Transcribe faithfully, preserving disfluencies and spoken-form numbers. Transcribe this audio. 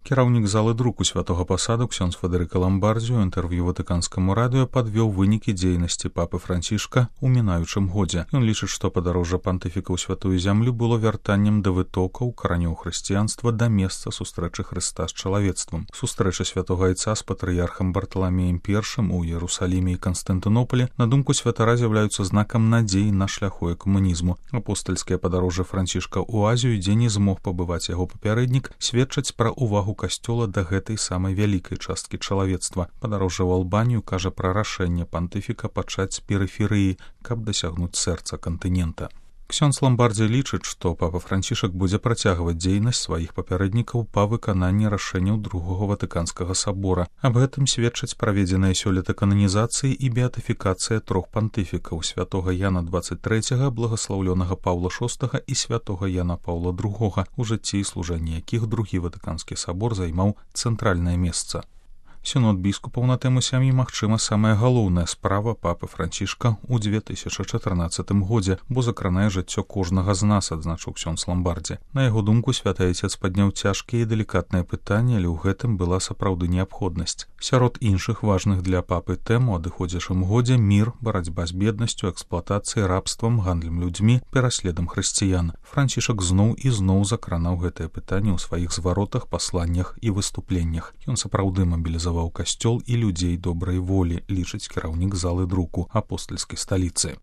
Кіраўнік залы друку святога пасаду ксёндз Федэрыка Ламбардзі ў інтэрв'ю ватыканскаму радыё падвёў вынікі дзейнасці папы Францішка ў мінаючым годзе. Ён лічыць, што падарожжа пантыфіка ў святую зямлю было вяртаннем да вытокаў каранёў хрысціянства да месца сустрэчы Хрыста з чалавецтвам. Сустрэча святога айца з патрыярхам Барталамеем першым у Іерусаліме і Канстантынополі, на думку святара, з'яўляюцца знакам надзеі на шляху экумэнізму. Апостальскае падарожжа Францішка ў Азію, дзе не змог пабываць яго папярэднік, сведчаць пра ўвагу касцёла да гэтай самай вялікай часткі чалавецтва. Падарожжа ў Албанію кажа пра рашэнне пантыфіка пачаць з перыферыі, каб дасягнуць сэрца кантынента. Ксёндз Ламбардзі лічыць, што папа Францішак будзе працягваць дзейнасць сваіх папярэднікаў па выкананні рашэнняў другога ватыканскага сабора. Аб гэтым сведчаць праведзеныя сёлета кананізацыі і беатыфікацыя трох пантыфікаў: святога Яна дваццаць трэцяга, благаслаўлёнага Паўла шостага і святога Яна Паўла другога, у жыцці і служэнні якіх другі ватыканскі сабор займаў цэнтральнае месца. Сінод біскупаў на тэму сям'і, магчыма, самая галоўная справа папы Францішка ў дзве тысячы чатырнаццатым годзе, бо закранае жыццё кожнага з нас, адзначыў ксёндз Ламбардзі. На яго думку, святы айцец падняў цяжкія і далікатныя пытанні, але ў гэтым была сапраўды неабходнасць. Сярод іншых важных для папы тэм у адыходзячым годзе мір, барацьба з беднасцю, эксплуатацыяй, рабствам, гандлем людзьмі, пераследам хрысціян. Францішак зноў і зноў закранаў гэтае пытанне ў сваіх зваротах, пасланнях і выступленнях. Ён сапраўды мабілізаваў касцёл і людзей добрай волі, лічыць кіраўнік залы друку апостальскай сталіцы.